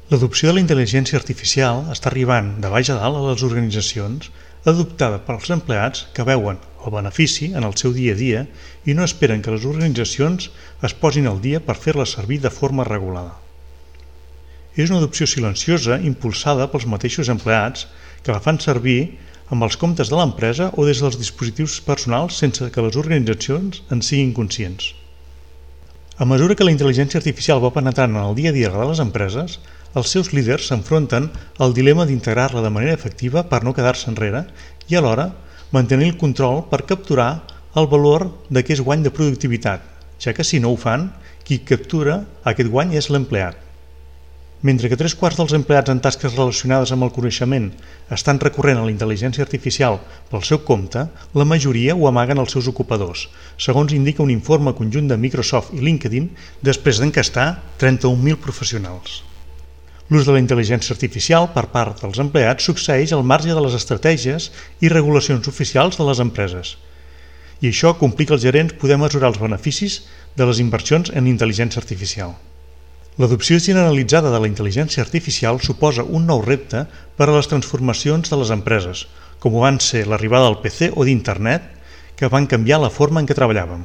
L'adopció de la intel·ligència artificial està arribant de baix a dalt a les organitzacions, adoptada pels empleats que veuen el benefici en el seu dia a dia i no esperen que les organitzacions es posin al dia per fer-la servir de forma regulada. És una adopció silenciosa impulsada pels mateixos empleats que la fan servir amb els comptes de l'empresa o des dels dispositius personals sense que les organitzacions en siguin conscients. A mesura que la intel·ligència artificial va penetrant en el dia a dia de les empreses, els seus líders s'enfronten al dilema d'integrar-la de manera efectiva per no quedar-se enrere i alhora mantenir el control per capturar el valor d'aquest guany de productivitat, ja que si no ho fan, qui captura aquest guany és l'empleat. Mentre que 3/4 dels empleats en tasques relacionades amb el coneixement estan recorrent a la intel·ligència artificial pel seu compte, la majoria ho amaguen als seus ocupadors, segons indica un informe conjunt de Microsoft i LinkedIn després d'encastar 31.000 professionals. L'ús de la intel·ligència artificial per part dels empleats succeeix al marge de les estratègies i regulacions oficials de les empreses. I això complica als gerents poder mesurar els beneficis de les inversions en intel·ligència artificial. L'adopció generalitzada de la intel·ligència artificial suposa un nou repte per a les transformacions de les empreses, com van ser l'arribada del PC o d'Internet, que van canviar la forma en què treballàvem.